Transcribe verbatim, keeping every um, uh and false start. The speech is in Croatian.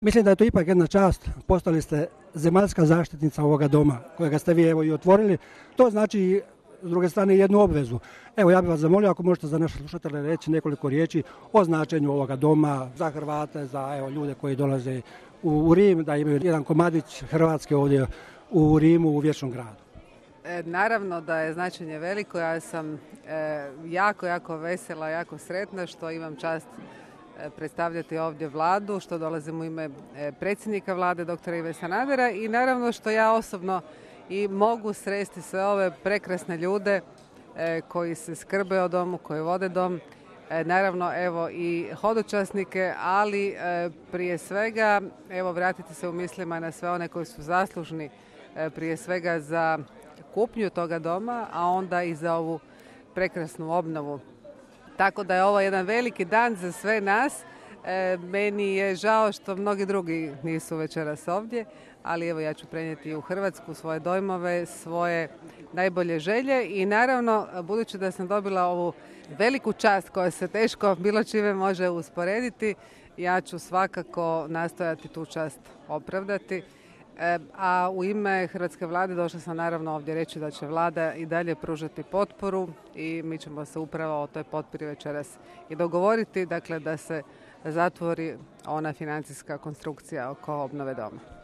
Mislim da je to ipak jedna čast, postali ste zemaljska zaštitnica ovoga doma, kojega ste vi evo i otvorili. To znači, s druge strane, jednu obvezu. Evo, ja bih vas zamolio ako možete za naše slušatelje reći nekoliko riječi o značenju ovoga doma za Hrvate, za evo, ljude koji dolaze u, u Rim, da imaju jedan komadić Hrvatske ovdje u Rimu, u Vječnom gradu. E, naravno da je značenje veliko. Ja sam e, jako, jako vesela, jako sretna što imam čast predstavljati ovdje vladu, što dolazim u ime predsjednika vlade doktora Ive Sanadera i naravno što ja osobno i mogu sresti sve ove prekrasne ljude e, koji se skrbe o domu, koji vode dom, e, naravno evo i hodočasnike, ali e, prije svega evo vratiti se u mislima na sve one koji su zaslužni e, prije svega za kupnju toga doma, a onda i za ovu prekrasnu obnovu. Tako da je ovo jedan veliki dan za sve nas. E, meni je žao što mnogi drugi nisu večeras ovdje, ali evo ja ću prenijeti u Hrvatsku svoje dojmove, svoje najbolje želje i naravno budući da sam dobila ovu veliku čast koja se teško bilo čime može usporediti, ja ću svakako nastojati tu čast opravdati. A u ime Hrvatske vlade došla sam naravno ovdje reći da će vlada i dalje pružati potporu i mi ćemo se upravo o toj potpori večeras i dogovoriti, dakle da se zatvori ona financijska konstrukcija oko obnove doma.